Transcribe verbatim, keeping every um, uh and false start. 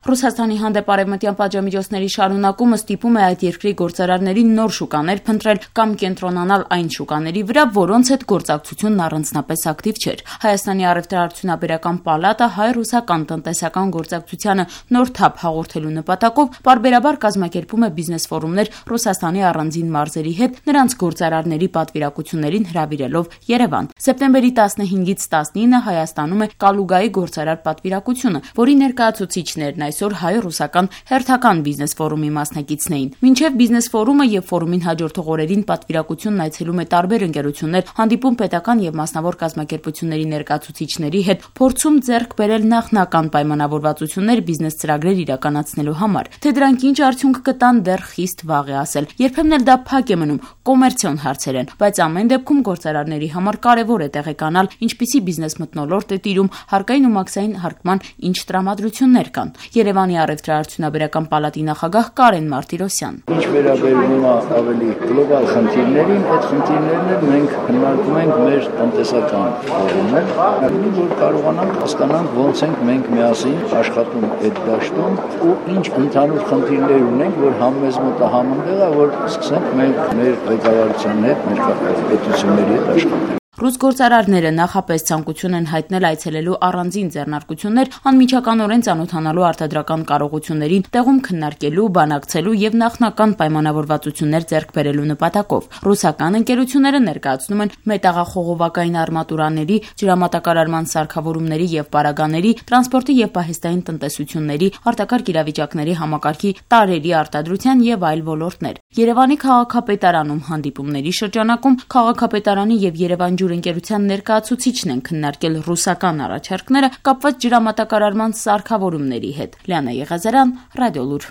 Ռուսաստանի հանդեպ արևմտյան պատժամիջոցների շարունակումը ստիպում է այդ երկրի գործարարներին նոր շուկաներ փնտրել կամ կենտրոնանալ այն շուկաների վրա, որոնց հետ գործակցությունն առանձնապես ակտիվ չէր։ Հայաստանի առևտրաարդյունաբերական պալատը հայ-ռուսական տնտեսական գործակցությանը նոր թափ հաղորդելու նպատակով պարբերաբար կազմակերպում է բիզնես ֆորումներ Ռուսաստանի առանձին մարզերի հետ, նրանց գործարարների պատվիրակություններին հրավիրելով Երևան։ Սեպտեմբերի տասնհինգից տասնինը Հայաստանում է Կալուգայի գործարար պատվիրակությունը, որի ներկայացուցիչներն այսօր հայ-ռուսական հերթական բիզնես ֆորումի մասնակիցն էին։ Մինչև բիզնես ֆորումը եւ ֆորումին հաջորդող օրերին պատվիրակությունն այցելում է տարբեր ընկերություններ, հանդիպում պետական եւ մասնավոր կազմակերպությունների ներկայացուցիչների հետ, փորձում ձեռք բերել նախնական պայմանավորվածություններ բիզնես ծրագրեր իրականացնելու համար։ Թե դրանք ինչ արդյունք կտան, դեռ խիստ վաղ է ասել։ Երբեմն էլ դա փակ է մնում, կոմերցիոն հարցեր են, բայց ամեն դեպքում գործարարների համար կարևոր է տեղեկանալ ինչպիսի բիզնես մթնոլորտ է տիրում, հարկային ու մաքսային հարկման ինչ տրամադրություններ կան։ Երևանի առևտրաարդյունաբերական պալատի նախագահ Կարեն Մարտիրոսյան. Ինչ վերաբերում է ավելի գլոբալ խնդիրներին, այդ խնդիրներն էլ մենք քննարկում ենք մեր տնտեսական ֆորումներ, որ կարողանանք հասկանանք ոնց ենք մենք միասին աշխատում այդ դաշտում ու ինչ ընդհանուր խնդիրներ ունենք, որ համեզ մոտ համընդեղ է, որ սկսենք մենք մեր ղեկավարության հետ, մեր պետությունների հետ աշխատել։ Ռուս գործարարները նախապես ցանկություն են հայտնել այցելելու առանձին ձեռնարկություններ անմիջականորեն ծանոթանալու արտադրական կարողություններին, տեղում քննարկելու, բանակցելու եւ նախնական պայմանավորվածություններ ձեռք բերելու նպատակով։ Ռուսական ընկերությունները ներկայացնում են մետաղախողովակային արմատուրաների, ջրամատակարարման սարքավորումների եւ պարագաների, տրանսպորտի եւ պահեստային տնտեսությունների, արտակարգ իրավիճակների համակարգի տարրերի արտադրության եւ այլ ոլորտներ։ Երևանի քաղաքապետարանում հանդիպումների շրջանակում քաղաքապետարանի եւ Երևան ընկերության ներկայացուցիչն են քննարկել ռուսական առաջարկները կապված ջրամատակարարման սարքավորումների հետ։ Լիանա Եղազարյան, Ռադիոլուր։